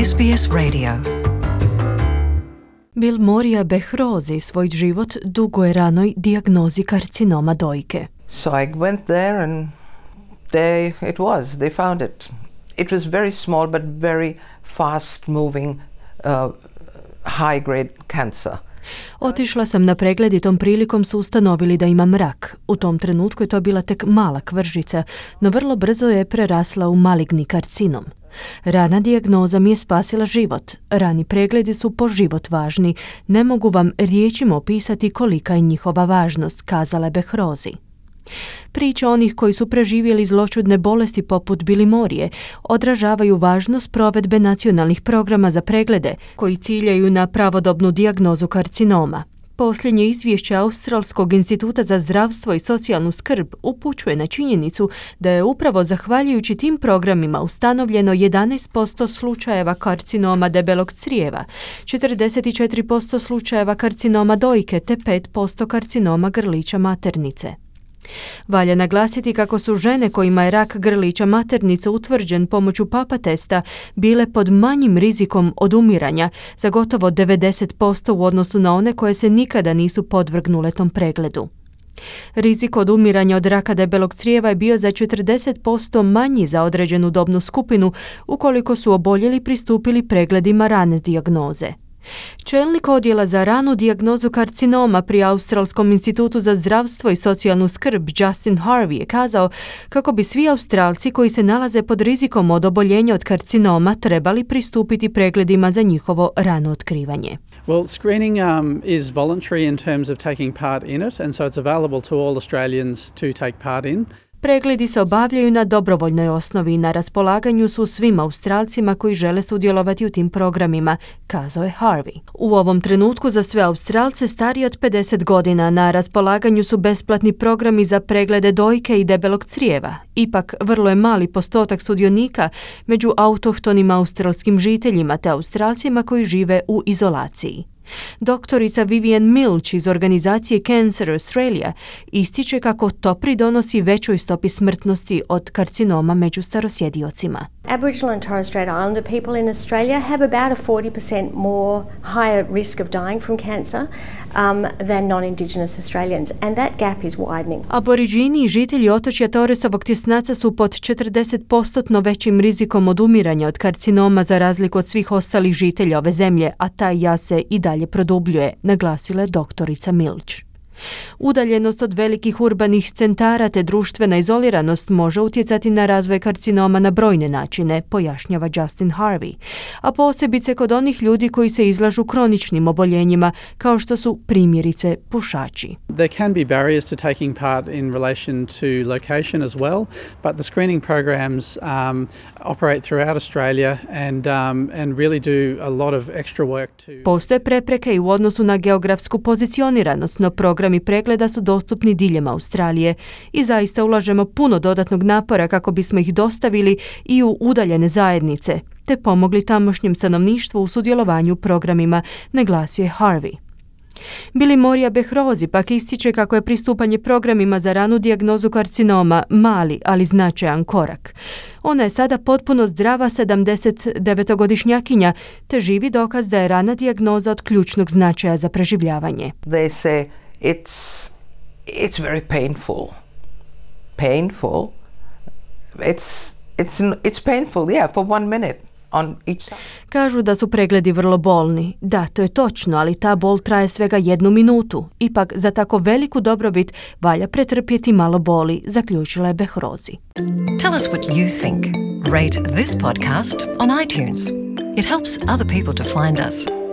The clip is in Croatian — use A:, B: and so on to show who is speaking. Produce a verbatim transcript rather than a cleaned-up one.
A: S B S Radio.
B: Bill Moria Behrozi svoj život dugo je ranoj dijagnozi karcinoma dojke.
C: So I went there and there it was. They found it. It was very small but very fast moving uh, high grade cancer.
B: Otišla sam na pregled i tom prilikom su ustanovili da imam rak. U tom trenutku je to bila tek mala kvržica, no vrlo brzo je prerasla u maligni karcinom. Rana dijagnoza mi je spasila život. Rani pregledi su po život važni. Ne mogu vam riječima opisati kolika je njihova važnost, kazala je Behrozi. Priče onih koji su preživjeli zloćudne bolesti poput Billy Morije odražavaju važnost provedbe nacionalnih programa za preglede koji ciljaju na pravodobnu dijagnozu karcinoma. Posljednje izvješće Australskog instituta za zdravstvo i socijalnu skrb upućuje na činjenicu da je upravo zahvaljujući tim programima ustanovljeno jedanaest posto slučajeva karcinoma debelog crijeva, četrdeset četiri posto slučajeva karcinoma dojke te pet posto karcinoma grlića maternice. Valja naglasiti kako su žene kojima je rak grlića maternice utvrđen pomoću papa testa bile pod manjim rizikom od umiranja za gotovo devedeset posto u odnosu na one koje se nikada nisu podvrgnule tom pregledu. Rizik od umiranja od raka debelog crijeva je bio za četrdeset posto manji za određenu dobnu skupinu ukoliko su oboljeli pristupili pregledima rane dijagnoze. Čelnik odjela za ranu dijagnozu karcinoma pri Australskom institutu za zdravstvo i socijalnu skrb Justin Harvey je kazao kako bi svi Australci koji se nalaze pod rizikom od oboljenja od karcinoma trebali pristupiti pregledima za njihovo rano otkrivanje.
D: Well, screening um, is voluntary in terms of taking part in it, and so it's available to all Australians to take part in.
B: Pregledi se obavljaju na dobrovoljnoj osnovi i na raspolaganju su svim Australcima koji žele sudjelovati u tim programima, kazao je Harvey. U ovom trenutku za sve Australce stariji od pedeset godina na raspolaganju su besplatni programi za preglede dojke i debelog crijeva. Ipak vrlo je mali postotak sudionika među autohtonim australskim žiteljima te Australcima koji žive u izolaciji. Doktorica Vivian Milch iz organizacije Cancer Australia ističe kako to pridonosi većoj stopi smrtnosti od karcinoma među starosjediocima.
E: Aboriginal and Torres Strait Islander people in Australia have about a forty percent more higher risk of dying from cancer um, than non-Indigenous Australians, and that gap is widening.
B: Aboriđini i žitelji otočja Torresovog tjesnaca su pod četrdeset posto većim rizikom od umiranja od karcinoma za razliku od svih ostalih žitelja ove zemlje, a taj jaz se i dalje produbljuje, naglasila je doktorica Milch. Udaljenost od velikih urbanih centara te društvena izoliranost može utjecati na razvoj karcinoma na brojne načine, pojašnjava Justin Harvey, a posebice kod onih ljudi koji se izlažu kroničnim oboljenjima, kao što su primjerice pušači.
D: There can be barriers to taking part in relation to location as well, but the screening programs um, operate throughout Australia and, um, and really do a lot of extra work to...
B: Postoje prepreke i u odnosu na geografsku pozicioniranost, no program i pregleda su dostupni diljem Australije i zaista ulažemo puno dodatnog napora kako bismo ih dostavili i u udaljene zajednice, te pomogli tamošnjem stanovništvu u sudjelovanju u programima, naglasio je Harvey. Billy Moria Behrozi pak ističe kako je pristupanje programima za ranu dijagnozu karcinoma mali, ali značajan korak. Ona je sada potpuno zdrava sedamdesetdevetogodišnjakinja, te živi dokaz da je rana dijagnoza od ključnog značaja za preživljavanje.
C: They say it's it's very painful. Painful. It's it's it's painful, yeah, for one minute. On each side.
B: Kažu da su pregledi vrlo bolni. Da, to je točno, ali ta bol traje svega jednu minutu. Ipak za tako veliku dobrobit valja pretrpjeti malo boli, zaključila je Behrozi.
A: Tell us what you think. Rate this podcast on iTunes. It helps other people to find us.